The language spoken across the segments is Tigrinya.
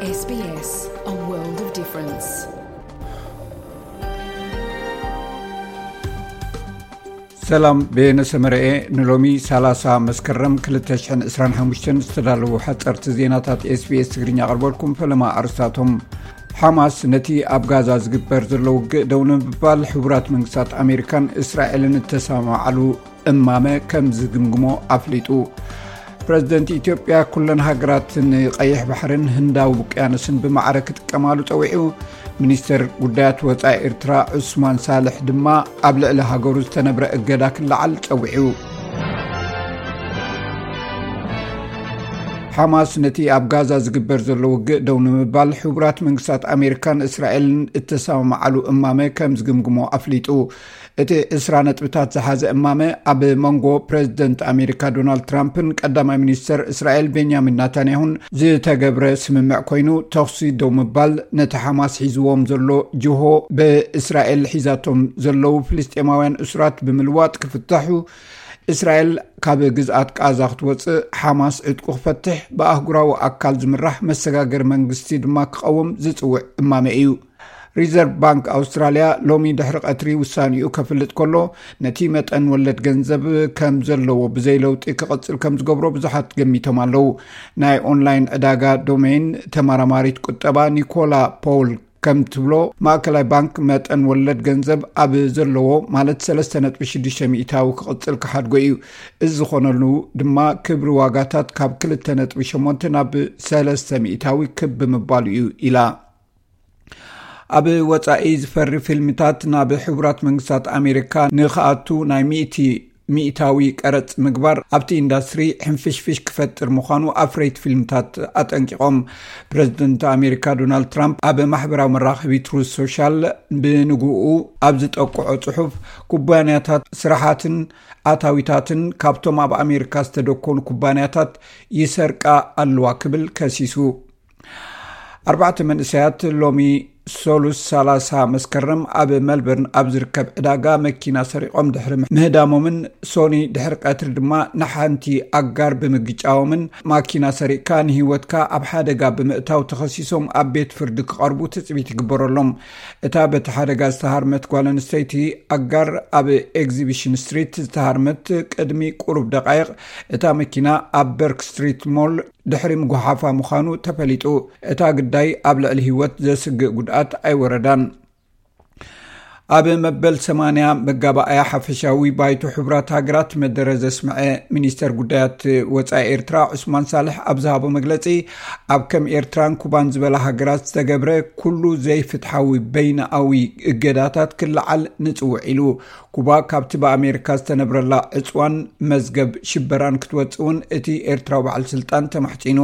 S B S, a world of difference. ሰላም፣ ቤነ ሰመረኤ። ንሎሚ ሰላሳ መስከረም ክልተ ሽሕን ዕስራን ሓሙሽተን ዝተዳለዉ ሓጸርቲ ዜናታት ኤስ ቢ ኤስ ትግርኛ ኣቕርበልኩም። ፈለማ ኣርስታቶም። ሓማስ ነቲ ኣብ ጋዛ ዝግበር ዘሎ ውግእ ደው ንምባል ሕቡራት መንግስታት ኣሜሪካን እስራኤልን እተሰማምዓሉ እማመ ከም ዝግምግሞ ኣፍሊጡ። ፕረዚደንት ኢትዮጵያ ኩለን ሃገራት ንቀይሕ ባሕርን ህንዳዊ ውቅያኖስን ብማዕረ ክጥቀማሉ ጸዊዑ። ሚኒስተር ጉዳያት ወጻኢ ኤርትራ ዑስማን ሳልሕ ድማ ኣብ ልዕሊ ሃገሩ ዝተነብረ እገዳ ክለዓል ጸዊዑ። ሓማስ ነቲ ኣብ ጋዛ ዝግበር ዘሎ ውግእ ደው ንምባል ሕቡራት መንግስታት ኣሜሪካን እስራኤልን እተሰማምዓሉ እማመ ከም ዝግምግሞ ኣፍሊጡ። እቲ ዕስራ ነጥብታት ዝሓዘ እማመ ኣብ መንጎ ፕረዚደንት ኣሜሪካ ዶናልድ ትራምፕን ቀዳማይ ሚኒስተር እስራኤል ቤንያሚን ናታንያሁን ዝተገብረ ስምምዕ ኮይኑ፣ ተኹሲ ደው ምባል፣ ነቲ ሓማስ ሒዝዎም ዘሎ ጅሆ ብእስራኤል ሒዛቶም ዘለዉ ፍልስጤማውያን እሱራት ብምልዋጥ ክፍታሑ፣ እስራኤል ካብ ግዝኣት ቃዛ ክትወጽእ፣ ሓማስ ዕጥቁ ክፈትሕ፣ ብኣህጉራዊ ኣካል ዝምራሕ መሰጋገሪ መንግስቲ ድማ ክቐውም ዝጽውዕ እማመ እዩ። ሪዘርቭ ባንክ ኣውስትራልያ ሎሚ ድሕሪ ቀትሪ ውሳኔኡ ከፍልጥ ከሎ፣ ነቲ መጠን ወለድ ገንዘብ ከም ዘለዎ ብዘይ ለውጢ ክቕጽል ከም ዝገብሮ ብዙሓት ገሚቶም ኣለዉ። ናይ ኦንላይን ዕዳጋ ዶሜይን ተመራማሪት ቁጠባ ኒኮላ ፖውል ከም ትብሎ፣ ማእከላይ ባንክ መጠን ወለድ ገንዘብ ኣብ ዘለዎ፣ ማለት ሰለስተ ነጥቢ ሽዱሽተ ሚእታዊ ክቕጽል ክሓድጎ እዩ። እዚ ዝኾነሉ ድማ ክብሪ ዋጋታት ካብ ክልተ ነጥቢ ሸሞንተ ናብ ሰለስተ ሚእታዊ ክብ ብምባሉ እዩ ኢላ። ኣብ ወጻኢ ዝፈሪ ፊልምታት ናብ ሕቡራት መንግስታት ኣሜሪካ ንኽኣቱ ናይ ሚእቲ ሚእታዊ ቀረጽ ምግባር ኣብቲ ኢንዳስትሪ ሕንፍሽፍሽ ክፈጥር ምዃኑ ኣፍረይቲ ፊልምታት ኣጠንቂቖም። ፕረዚደንት ኣሜሪካ ዶናልድ ትራምፕ ኣብ ማሕበራዊ መራኸቢ ትሩዝ ሶሻል ብንግኡ ኣብ ዝጠቅዖ ጽሑፍ፣ ኩባንያታት ስራሓትን ኣታዊታትን ካብቶም ኣብ ኣሜሪካ ዝተደኮኑ ኩባንያታት ይሰርቃ ኣለዋ ክብል ከሲሱ። ኣርባዕተ መንእሰያት ሎሚ ሰሉስ ሰላሳ መስከረም ኣብ መልበርን ኣብ ዝርከብ ዕዳጋ መኪና ሰሪቖም ድሕሪ ምህዳሞምን ሶኒ ድሕሪ ቀትሪ ድማ ንሓንቲ ኣጋር ብምግጫዎምን፣ ማኪና ሰሪቕካ ንህይወትካ ኣብ ሓደጋ ብምእታው ተኸሲሶም ኣብ ቤት ፍርዲ ክቐርቡ ትጽቢት ይግበረሎም። እታ በቲ ሓደጋ ዝተሃርመት ጓል ኣንስተይቲ ኣጋር ኣብ ኤግዚቢሽን ስትሪት ዝተሃርመት ቅድሚ ቁሩብ ደቃይቕ እታ መኪና ኣብ በርክ ስትሪት ሞል ድሕሪ ምጉሓፋ ምዃኑ ተፈሊጡ። እታ ግዳይ ኣብ ልዕሊ ህይወት ዘስግእ ጉድኣት ኣይወረዳን። ኣብ መበል ሰማንያ መጋባእያ ሓፈሻዊ ባይቶ ሕቡራት ሃገራት መደረ ዘስምዐ ሚኒስተር ጉዳያት ወጻኢ ኤርትራ ዑስማን ሳልሕ ኣብ ዝሃቦ መግለጺ፣ ኣብ ከም ኤርትራን ኩባን ዝበላ ሃገራት ዝተገብረ ኩሉ ዘይፍትሓዊ በይነኣዊ እገዳታት ክለዓል ንጽውዕ ኢሉ። ኩባ ካብቲ ብኣሜሪካ ዝተነብረላ ዕጽዋን መዝገብ ሽበራን ክትወጽእ እውን እቲ ኤርትራዊ በዓል ስልጣን ተማሕጺኑ።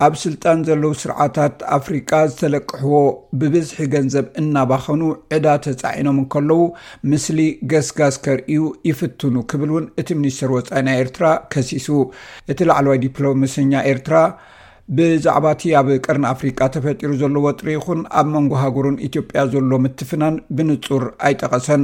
ኣብ ስልጣን ዘለዉ ስርዓታት ኣፍሪቃ ዝተለቅሕዎ ብብዝሒ ገንዘብ እናባኸኑ ዕዳ ተጻዒኖም እንከለዉ፣ ምስሊ ገስጋስ ከርእዩ ይፍትኑ ክብል እውን እቲ ሚኒስትር ወጻኢ ናይ ኤርትራ ከሲሱ። እቲ ላዕለዋይ ዲፕሎማሰኛ ኤርትራ ብዛዕባ እቲ ኣብ ቀርኒ ኣፍሪቃ ተፈጢሩ ዘሎ ወጥሪ ይኹን ኣብ መንጎ ሃገሩን ኢትዮጵያ ዘሎ ምትፍናን ብንጹር ኣይጠቐሰን።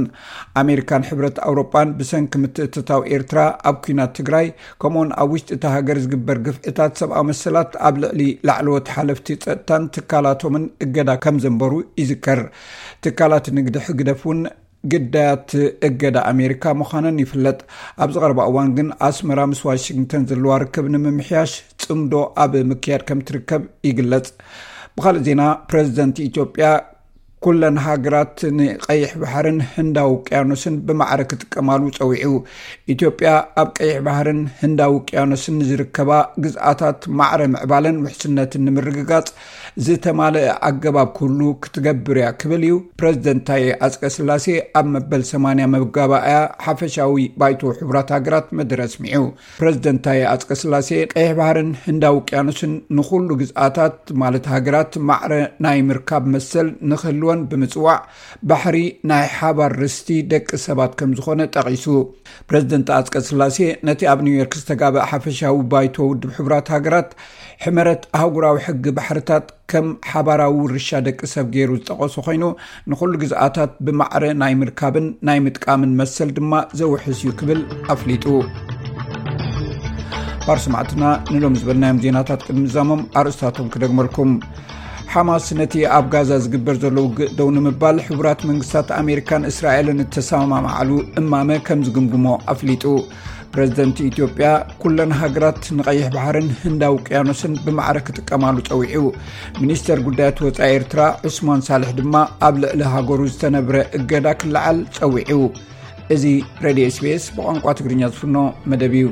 ኣሜሪካን ሕብረት ኣውሮጳን ብሰንኪ ምትእትታው ኤርትራ ኣብ ኲናት ትግራይ፣ ከምኡውን ኣብ ውሽጢ እታ ሃገር ዝግበር ግፍዕታት ሰብኣዊ መሰላት ኣብ ልዕሊ ላዕለዎት ሓለፍቲ ጸጥታን ትካላቶምን እገዳ ከም ዘንበሩ ይዝከር። ትካላት ንግዲ ህግደፍ እውን ግዳያት እገዳ ኣሜሪካ ምዃነን ይፍለጥ። ኣብዚ ቀረባ እዋን ግን ኣስመራ ምስ ዋሽንግተን ዘለዋ ርክብ ንምምሕያሽ ጽምዶ ኣብ ምክያድ ከም ትርከብ ይግለጽ። ብኻልእ ዜና፣ ፕረዚደንት ኢትዮጵያ ኩለን ሃገራት ንቀይሕ ባሕርን ህንዳዊ ውቅያኖስን ብማዕረ ክጥቀማሉ ጸዊዑ። ኢትዮጵያ ኣብ ቀይሕ ባሕርን ህንዳዊ ውቅያኖስን ንዝርከባ ግዝኣታት ማዕረ ምዕባለን ውሕስነትን ንምርግጋጽ ዝተማልአ ኣገባብ ኩሉ ክትገብር እያ ክብል እዩ ፕረዚደንት ታየ ኣጽቀስላሴ ኣብ መበል ሰማንያ መጋባእያ ሓፈሻዊ ባይቶ ሕቡራት ሃገራት መደረ ኣስሚዑ። ፕረዚደንት ታየ ኣጽቀስላሴ፣ ቀይሕ ባሕርን ህንዳዊ ውቅያኖስን ንኹሉ ግዝኣታት፣ ማለት ሃገራት፣ ማዕረ ናይ ምርካብ መሰል ንኽህልወን ብምጽዋዕ፣ ባሕሪ ናይ ሓባር ርስቲ ደቂ ሰባት ከም ዝኾነ ጠቒሱ። ፕረዚደንት ኣጽቀስላሴ ነቲ ኣብ ኒውዮርክ ዝተጋብአ ሓፈሻዊ ባይቶ ውድብ ሕቡራት ሃገራት ሕመረት ኣህጉራዊ ሕጊ ባሕርታት ከም ሓባራዊ ውርሻ ደቂ ሰብ ገይሩ ዝጠቐሶ ኮይኑ፣ ንኹሉ ግዝኣታት ብማዕረ ናይ ምርካብን ናይ ምጥቃምን መሰል ድማ ዘውሕስ እዩ ክብል ኣፍሊጡ። ባር ሰማዕትና ንሎም ዝበልናዮም ዜናታት ቅድሚ ዛሞም ኣርእስታቶም ክደግመልኩም። ሓማስ ነቲ ኣብ ጋዛ ዝግበር ዘሎ ውግእ ደው ንምባል ሕቡራት መንግስታት ኣሜሪካን እስራኤልን እተሰማማዓሉ እማመ ከም ዝግምግሞ ኣፍሊጡ። ፕረዚደንት ኢትዮጵያ ኩለን ሃገራት ንቐይሕ ባሕርን ህንዳዊ ውቅያኖስን ብማዕረ ክጥቀማሉ ጸዊዑ። ሚኒስተር ጉዳያት ወጻኢ ኤርትራ ዑስማን ሳልሕ ድማ ኣብ ልዕሊ ሃገሩ ዝተነብረ እገዳ ክለዓል ጸዊዑ። እዚ ሬድዮ ኤስቢኤስ ብቋንቋ ትግርኛ ዝፍኖ መደብ እዩ።